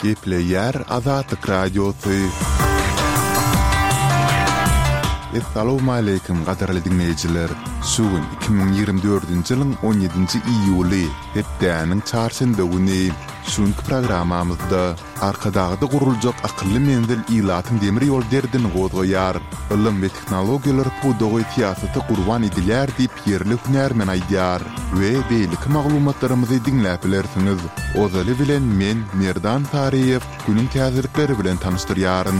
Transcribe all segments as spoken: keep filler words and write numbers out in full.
Gepleýär Azatlyk Radiosy. Essalawmaleýkim gadyrly diňleýjiler! Şu gün iki müň ýigrimi dördünji ýylyň on ýedinji iýuly, hepdäniň çarşenbe güni. Şu günki programmamyzda Arkadagda guruljak akylly menzil ilatyň demir ýol derdini gozgaýar. Ylym we tehnologiýalar pudagy syýasata gurban edilýär diýip ýerli hünärmen aýdýar we beýleki maglumatlarymyzy diňläp bilersiňiz. Ozaly bilen men Merdan Saryýew günüň täzelikleri bilen tanyşdyrýaryn.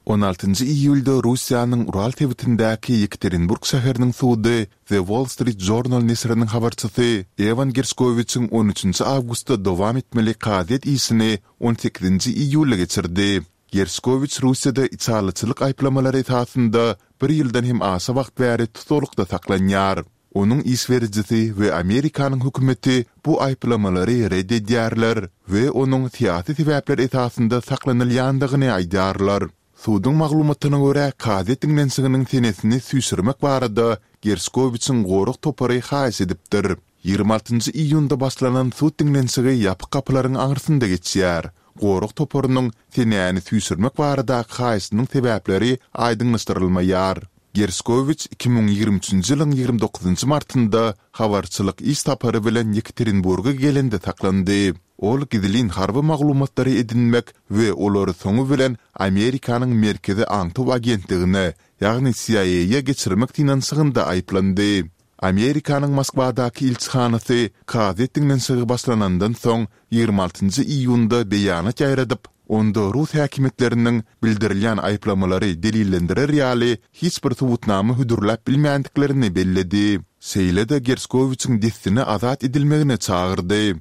On altynjy iýulda Russiýanyň Ural sebitindäki Ýekaterinburg şäheriniň sudy The Wall Street Journal neşiriniň habarçysy Ewan Gerşkowiçiň on üçünji awgustda dowam etmeli kazyýet işini on sekizinji iýulda geçirdi. Gerşkowiç Russiýada içalyçylyk aýyplamalary esasynda bir ýyldan hem aşa wagt bäri tussaglykda saklanýar. Onuň iş berijisi we Amerikanyň hökümeti bu aýyplamalary ret edýärler we onuň syýasy sebäpler esasynda saklanylýandygyny aýdýarlar. Suduň maglumatyna görä, kazyýet diňlenişiginiň senesini süýşürmek barada Gerşkowiçiň gorag topary haýyş edipdir. Ýigrimi altynjy iýunda başlanan sud diňlenişigi ýapyk gapylaryň aňyrsynda geçýär. Gorag toparynyň senäni süýşürmek baradaky haýyşynyň sebäpleri aýdyňlaşdyrylmaýar. Gerşkowiç iki müň ýigrimi üçünji ýylyň ýigrimi dokuzynjy martynda habarçylyk iş sapary bilen Ýekaterinburga gelende saklandy. Ol gizlin harby maglumatlary edinmek we olary soňy bilen Amerikanyň Merkezi aňtaw agentligine, ýagny C I A geçirmek synanyşygynda aýyplandy. Amerikanyň Moskwadaky ilçihanasy kazyýet diňlenişigi başlanandan soň ýigrimi altynjy iýunda beýanat ýaýradyp, onda rus häkimiýetleriniň bildirilýän aýyplamalary delillendirer ýaly hiç bir subutnama hödürläp bilmändiklerini belledi. Şeýle-de Gerşkowiçiň dessine azat edilmegine çagyrdy.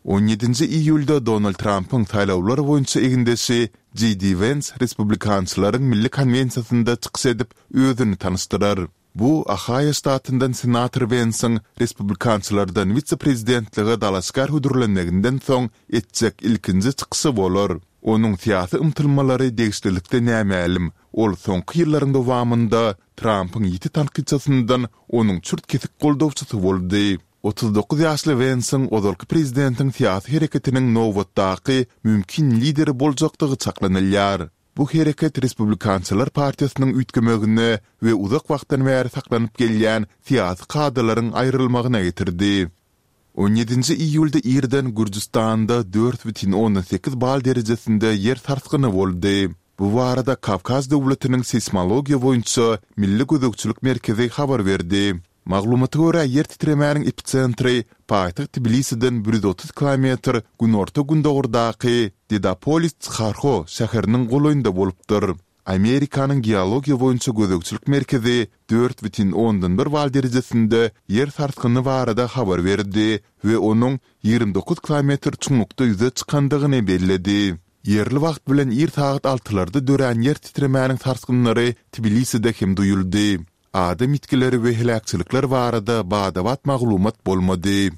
On ýedinji iýulda Donald Trampyň saýlawlar boýunça egindeşi J D Wens Respublikançylaryň milli konwensiýasynda çykyş edip, özüni tanyşdyrar. Bu, Ohaýo ştatyndan senator Wensiň respublikançylardan wise-prezidentlige dalaşgär hödürlenmeginden soň etjek ilkinji çykyşy bolar. Onuň syýasy ymtylmalary degişlilikde nämälim, ol soňky ýyllaryň dowamynda Trampyň ýiti tankytçysyndan onuň çürt-kesik goldawçysy boldy. Otuz dokuz ýaşly Wensiň ozalky prezidentiň syýasy hereketiniň nobatdaky mümkin lideri boljakdygy çaklanylýar. Bu hereket Respublikançylar partiýasynyň üýtgemegine we uzak wagtdan bäri saklanyp gelýän syýasy kadalaryň aýrylmagyna getirdi. On ýedinji iýulda irden Gürjüstanda dört bütin ondan sekiz bal derejesinde ýer sarsgyny boldy. Bu barada Kawkaz döwletiniň seýsmologiýa boýunça milli gözegçilik merkezi habar berdi. Maglumata görä, ýer titremäniň episentri paýtagt Tbilisiden bir ýüz otuz kilometr günorta-gündogardaky Dedapolis-Tsharho şäheriniň golaýynda bolupdyr. Amerikanyň Geologiýa boýunça gözegçilik merkezi dört bütin ondan bir bal derejesinde ýer sarsgyny barada habar berdi we onuň ýigrimi dokuz kilometr çuňlukda ýüze çykandygyny belledi. Ýerli wagt bilen ir sagat altylarda dörän ýer titremäniň sarsgynlary Tbiliside hem duýuldy. Adam ýitgileri we heläkçilikler barada bada-bat maglumat bolmady.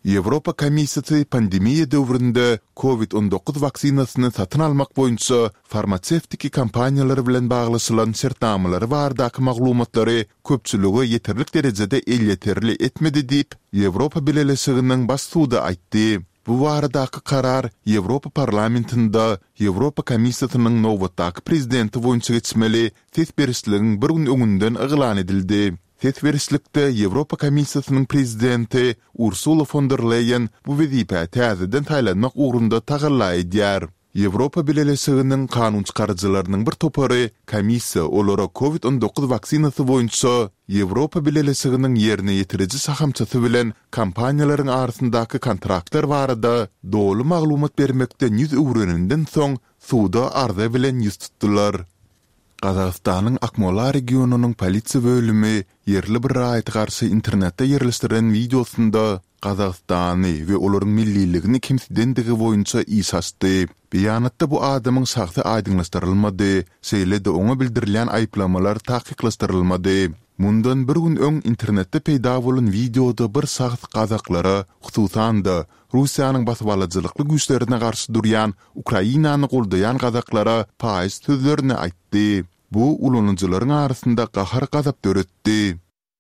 Ýewropa Komissiýasy pandemiýa döwründe Covid on dokuz waksinasyny satyn almak boýunça farmasewtiki kompaniýalar bilen baglaşylan şertnamalary baradaky maglumatlary köpçülige ýeterlik derejede elýeterli etmedi diýip, Ýewropa Bileleşiginiň Baş sudy aýtdy. Bu baradaky karar Ýewropa Parlamentinde Ýewropa Komissiýasynyň nobatdaky prezidenti boýunça geçmeli ses berişligiň bir gün öňünden yglan edildi. Ses berişlikde Ýewropa Komissiýasynyň prezidenti Ursula fon der Leýen bu wezipä täzeden saýlanmak ugrunda tagalla edýär. Ýewropa Bileleşiginiň kanunçykaryjylarynyň bir topary komissiýa olara Covid on dokuz waksinasy boýunça Ýewropa Bileleşiginiň ýerine ýetiriji şahamçasy bilen kompaniýalaryň arasyndaky kontraktlar barada doly maglumat bermekden ýüz öwreninden soň suda arza bilen ýüz tutdular. Gazagystanyň Akmola regionynyň polisiýa bölümi ýerli bir raýata garşy internetde ýerleşdirilen wideosynda Gazagystany we olaryň milliligini kemsidendigi boýunça iş açdy. Beýanatda bu adamyň şahsy aýdyňlaşdyrylmady, şeýle-de oňa bildirilýän aýyplamalar takyklaşdyrylmady. Mundan bir gün öň internetde peýda bolan wideoda bir şahs gazaklara, hususan-da, Russiýanyň basybalyjylykly güýçlerine garşy durýan Ukrainany goldaýan gazaklara paýyş sözlerini aýtdy. Bu ulanyjylaryň arasynda gahar-gazap döretdi.